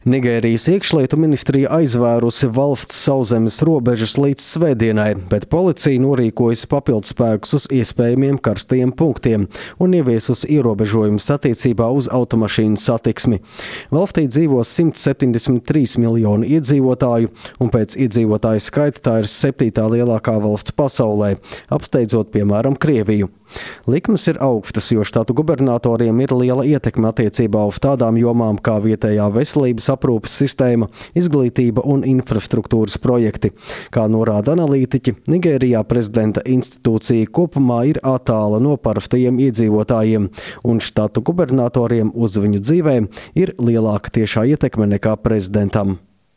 Nigērijas iekšlietu ministrija aizvērusi valsts sauszemes robežas līdz svētdienai, bet policija norīkojusi papildspēkus uz iespējamiem karstajiem punktiem un ieviesusi ierobežojumus attiecībā uz automašīnu satiksmi. Valstī dzīvo 173 miljoni iedzīvotāju, un pēc iedzīvotāju skaita tā ir 7. lielākā valsts pasaulē, apsteidzot piemēram Krieviju. Likmes ir augstas, jo štatu gubernatoriem ir liela ietekme attiecībā uz tādām jomām kā vietējā veselības aprūpes sistēma, izglītība un infrastruktūras projekti. Kā norāda analītiķi, Nigērijā prezidenta institūcija kopumā ir attāla no parastajiem iedzīvotājiem, un štatu gubernatoriem uz viņu dzīvēm ir lielāka tiešā ietekme nekā prezidentam.